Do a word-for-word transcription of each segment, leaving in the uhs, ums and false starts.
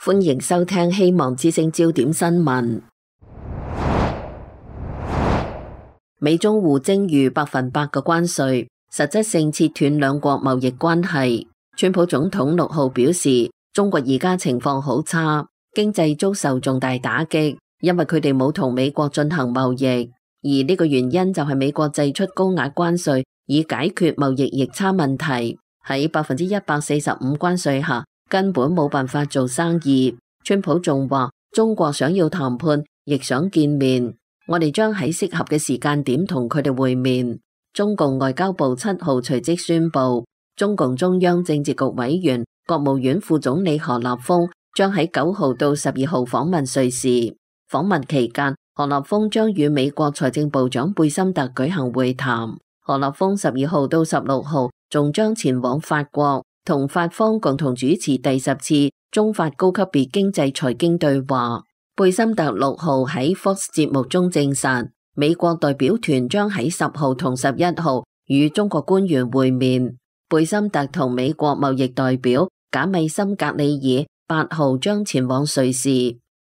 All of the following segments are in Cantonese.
歡迎收聽希望之聲焦點新聞。美中互徵逾百分百嘅關稅，實質性切斷兩國貿易關係。川普總統六號表示，中國而家情況好差，經濟遭受重大打擊，因為佢哋冇同美國進行貿易，而呢個原因就係美國祭出高額關稅以解決貿易逆差問題。喺百分之一百四十五關稅下，根本冇辦法做生意。川普仲話，中國想要談判，亦想見面，我哋將喺適合嘅時間點同佢哋會面。中共外交部七號隨即宣布，中共中央政治局委員、國務院副總理何立峰將喺九號到十二號訪問瑞士。訪問期間，何立峰將與美國財政部長貝森特舉行會談。何立峰十二號到十六號仲將前往法國，同法方共同主持第十次中法高級別經濟財經對話。貝森特六號喺 Fox 節目中證實，美國代表團將喺十號同十一號與中國官員會面。貝森特同美國貿易代表賈米森格里爾八號將前往瑞士。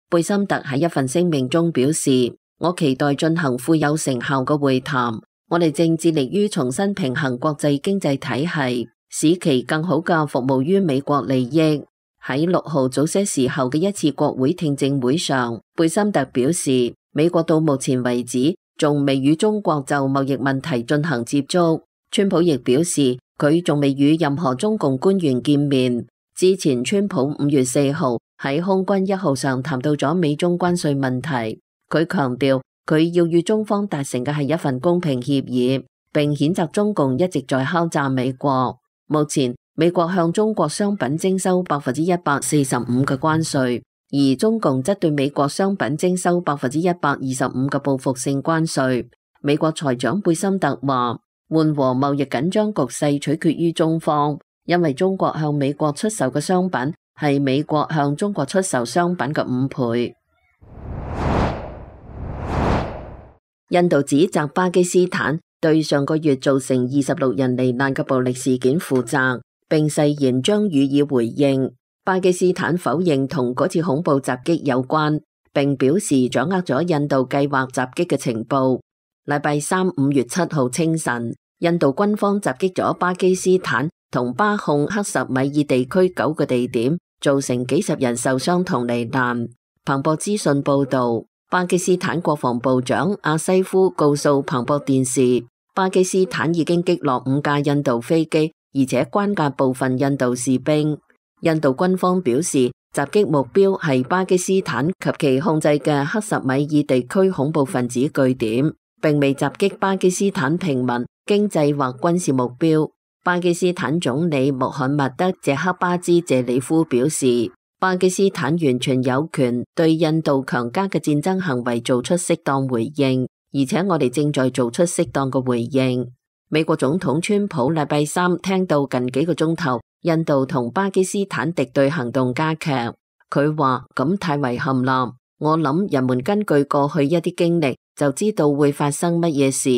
貝森特喺一份聲明中表示，我期待進行富有成效嘅會談，我哋正致力於重新平衡國際經濟體系，使其更好嘅服務於美國利益。喺六號早些時候嘅一次國會聽證會上，貝森特表示，美國到目前為止仲未與中國就貿易問題進行接觸。川普亦表示，佢仲未與任何中共官員見面。之前川普五月四號喺空軍一號上談到咗美中關稅問題，佢強調佢要與中方達成嘅係一份公平協議，並譴責中共一直在敲詐美國。目前美國向中國商品徵收百分之一百四十五嘅關稅，而中共則對美國商品徵收百分之一百二十五嘅報復性關稅。美國財長貝森特話，緩和貿易緊張局勢取決於中方，因為中國向美國出售嘅商品係美國向中國出售商品嘅五倍。印度指責巴基斯坦對上個月造成二十六人罹難嘅暴力事件負責，並誓言將予以回應。巴基斯坦否認同嗰次恐怖襲擊有關，並表示掌握咗印度計劃襲擊嘅情報。禮拜三五月七號清晨，印度軍方襲擊咗巴基斯坦同巴控克什米爾地區九個地點，造成幾十人受傷同罹難。彭博資訊報道，巴基斯坦國防部長阿西夫告訴彭博電視，巴基斯坦已經擊落五架印度飛機，而且關押部分印度士兵。印度軍方表示，襲擊目標係巴基斯坦及其控制嘅克什米爾地區恐怖分子據點，並未襲擊巴基斯坦平民、經濟或軍事目標。巴基斯坦總理穆罕默德·謝克巴茲·謝里夫表示，巴基斯坦完全有權對印度強加嘅戰爭行為做出適當回應，而且我哋正在做出適當嘅回應。美國總統川普禮拜三聽到近幾個鐘頭印度同巴基斯坦敵對行動加劇，佢話咁太遺憾啦。我諗人們根據過去一啲經歷就知道會發生乜嘢事，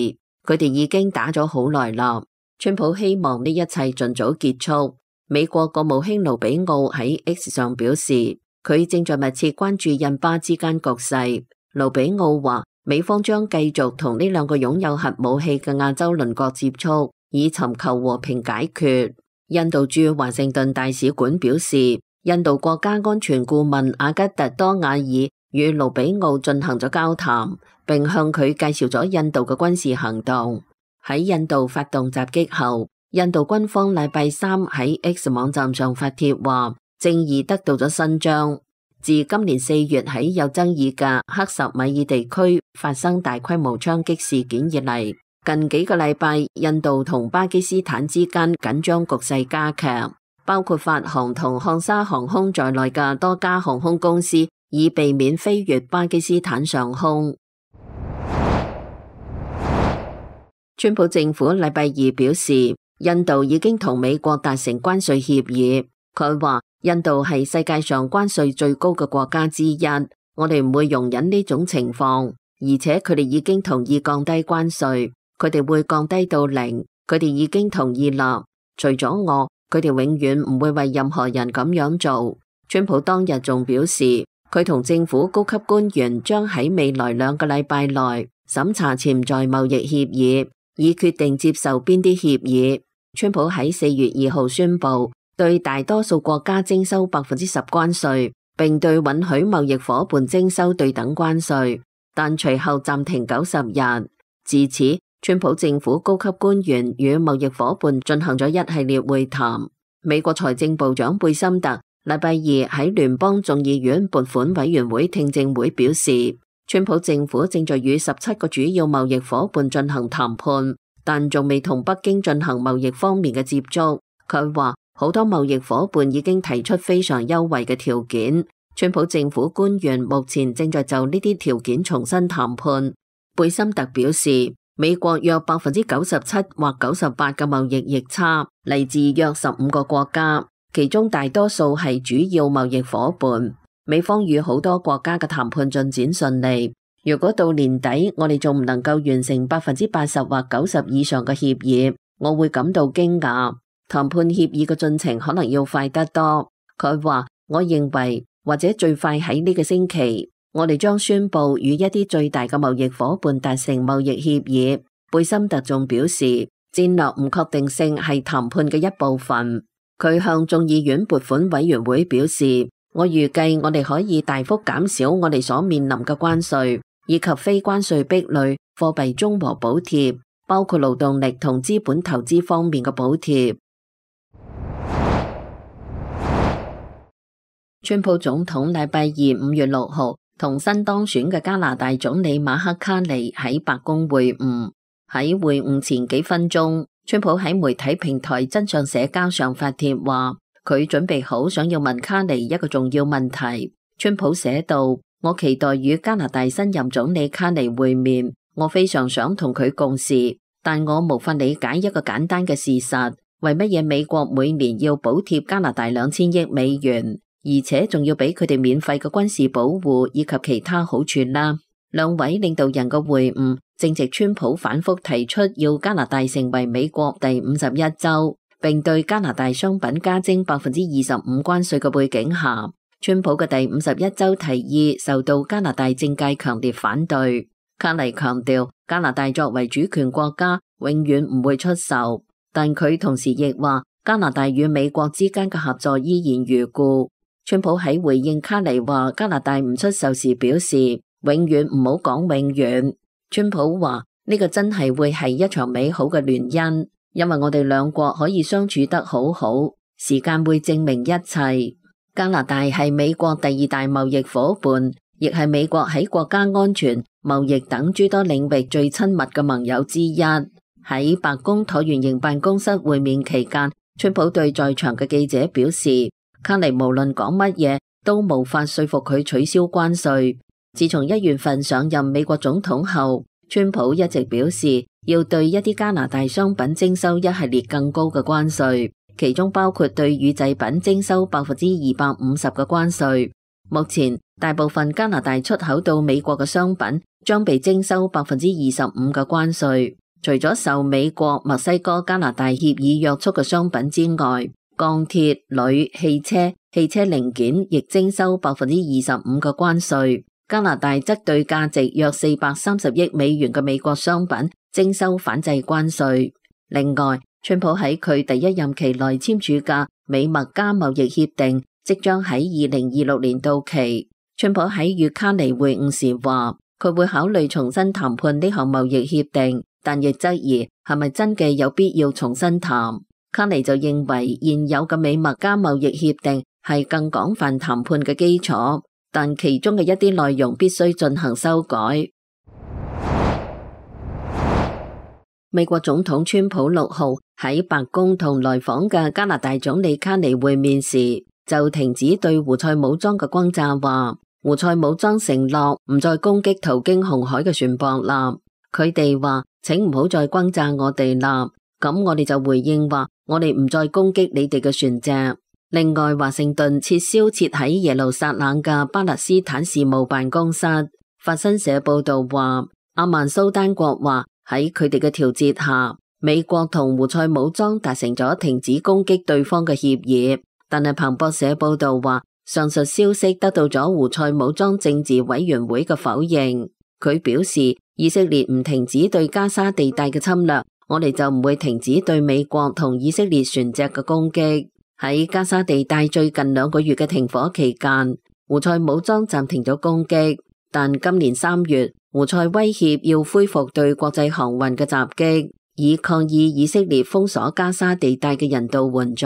佢哋已經打咗好耐啦。川普希望呢一切盡早結束。美國國務卿盧比奧喺 X 上表示，佢正在密切關注印巴之間局勢。盧比奧話，美方將繼續同呢兩個擁有核武器嘅亞洲鄰國接觸，以尋求和平解決。印度駐華盛頓大使館表示，印度國家安全顧問阿吉特多瓦爾與盧比奧進行咗交談，並向佢介紹咗印度嘅軍事行動。喺印度發動襲擊後，印度軍方禮拜三喺 X 網站上發帖話，正義得到咗伸張。自今年四月喺有爭議嘅克什米爾地區發生大規模槍擊事件以嚟，近幾個禮拜印度同巴基斯坦之間緊張局勢加劇，包括法航同漢莎航空在內嘅多家航空公司以避免飛越巴基斯坦上空。川普政府禮拜二表示，印度已經同美國達成關稅協議。佢話印度係世界上關稅最高嘅國家之一，我哋唔會容忍呢種情況，而且佢哋已經同意降低關稅，佢哋會降低到零，佢哋已經同意啦。除咗我，佢哋永遠唔會為任何人咁樣做。川普當日仲表示，佢同政府高級官員將喺未來兩個禮拜內審查潛在貿易協議，以決定接受邊啲協議。川普喺四月二號宣布對大多數國家徵收百分之十關稅，並對允許貿易夥伴徵收對等關稅，但隨後暫停九十日。自此，川普政府高級官員與貿易夥伴進行咗一系列會談。美國財政部長貝森特禮拜二喺聯邦眾議院撥款委員會聽證會表示，川普政府正在與十七個主要貿易夥伴進行談判，但仲未同北京進行貿易方面嘅接觸。佢話好多貿易夥伴已經提出非常優惠嘅條件，川普政府官員目前正在就呢啲條件重新談判。貝森特表示，美國約百分之九十七或九十八嘅貿易逆差嚟自約十五個國家，其中大多數係主要貿易夥伴。美方與好多國家嘅談判進展順利。如果到年底我哋仲唔能夠完成百分之八十或九十以上嘅協議，我會感到驚訝。談判協議嘅進程可能要快得多。佢話，我認為或者最快喺呢個星期，我哋將宣布與一啲最大嘅貿易夥伴達成貿易協議。貝森特仲表示，戰略唔確定性係談判嘅一部分。佢向眾議院撥款委員會表示，我預計我哋可以大幅減少我哋所面臨嘅關稅，以及非關稅壁壘、貨幣中和補貼，包括勞動力同資本投資方面嘅補貼。川普總統禮拜二五月六號同新當選嘅加拿大總理馬克卡尼喺白宮會晤。喺會晤前幾分鐘，川普喺媒體平台真相社交上發帖話，佢準備好想要問卡尼一個重要問題。川普寫道，我期待與加拿大新任總理卡尼會面，我非常想同佢共事，但我無法理解一個簡單嘅事實，為乜嘢美國每年要補貼加拿大兩千億美元？而且仲要俾佢哋免費嘅軍事保護以及其他好處啦。兩位領導人嘅會晤正值川普反覆提出要加拿大成為美國第五十一州，並對加拿大商品加徵百分之二十五關稅嘅背景下，川普嘅第五十一州提議受到加拿大政界強烈反對。卡尼強調，加拿大作為主權國家，永遠唔會出售，但佢同時亦話加拿大與美國之間嘅合作依然如故。川普喺回應卡尼話加拿大唔出售時表示，永遠唔好講永遠。川普話呢個真係會係一場美好嘅聯姻，因為我哋兩國可以相處得好好，時間會證明一切。加拿大係美國第二大貿易夥伴，亦係美國喺國家安全、貿易等諸多領域最親密嘅盟友之一。喺白宮橢圓形辦公室會面期間，川普對在場嘅記者表示，卡尼無論講乜嘢都無法說服佢取消關稅。自從一月份上任美國總統後，川普一直表示要對一啲加拿大商品徵收一系列更高嘅關稅，其中包括對乳製品徵收百分之二百五十嘅關稅。目前大部分加拿大出口到美國嘅商品將被徵收百分之二十五嘅關稅，除咗受美國、墨西哥、加拿大協議約束嘅商品之外，鋼鐵、鋁、汽車、汽車零件亦徵收百分之二十五嘅關稅。加拿大則對價值約四百三十億美元嘅美國商品徵收反制關稅。另外，川普喺佢第一任期內簽署嘅美墨加貿易協定即將喺二零二六年到期。川普喺與卡尼會晤時話，佢會考慮重新談判呢項貿易協定，但亦質疑係咪真嘅有必要重新談。卡尼就認為現有嘅美墨加貿易協定係更廣泛談判嘅基礎，但其中嘅一啲內容必須進行修改。美國總統川普六號喺白宮同來訪嘅加拿大總理卡尼會面時，就停止對胡塞武裝嘅轟炸，話胡塞武裝承諾唔再攻擊途經紅海嘅船舶啦。佢哋話，請唔好再轟炸我哋啦。咁我哋就回應話，我哋唔再攻擊你哋嘅船隻。另外，華盛頓撤銷設喺耶路撒冷嘅巴勒斯坦事務辦公室。法新社報道話，阿曼蘇丹國話喺佢哋嘅調節下，美國同胡塞武裝達成咗停止攻擊對方嘅協議。但係彭博社報道話，上述消息得到咗胡塞武裝政治委員會嘅否認。佢表示，以色列唔停止對加沙地帶嘅侵略，我哋就唔會停止對美國同以色列船隻嘅攻擊。喺加沙地帶最近兩個月嘅停火期間，胡塞武裝暫停咗攻擊，但今年三月，胡塞威脅要恢復對國際航運嘅襲擊，以抗議以色列封鎖加沙地帶嘅人道援助。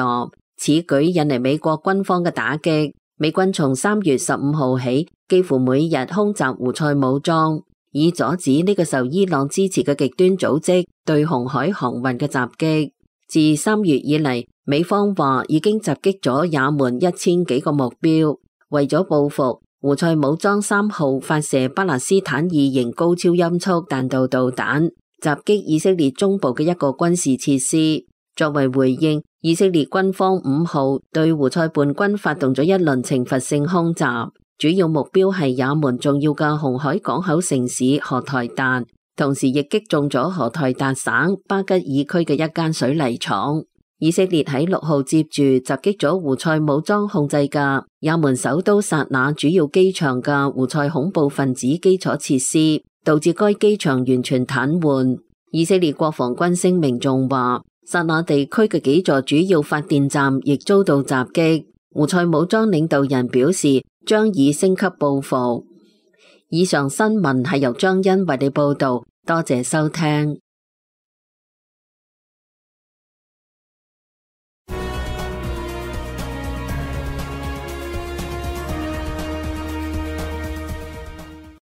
此舉引嚟美國軍方嘅打擊。美軍從三月十五號起，幾乎每日空襲胡塞武裝，以阻止呢個受伊朗支持嘅極端組織對紅海航運嘅襲擊。自三月以嚟，美方話已經襲擊咗也門一千幾個目標。為咗報復，胡塞武裝三號發射巴勒斯坦二型高超音速彈道導彈，襲擊以色列中部嘅一個軍事設施。作為回應，以色列軍方五號對胡塞叛軍發動咗一輪懲罰性空襲，主要目標係也門重要嘅紅海港口城市荷台達，同時亦擊中咗荷台達省巴吉爾區嘅一間水泥廠。以色列喺六號接住襲擊咗胡塞武裝控制嘅也門首都薩那主要機場嘅胡塞恐怖分子基礎設施，導致該機場完全癱瘓。以色列國防軍聲明仲話，薩那地區嘅幾座主要發電站亦遭到襲擊。胡塞武裝領導人表示，將以升級報復。以上新聞係由張恩為你報道，多謝收聽。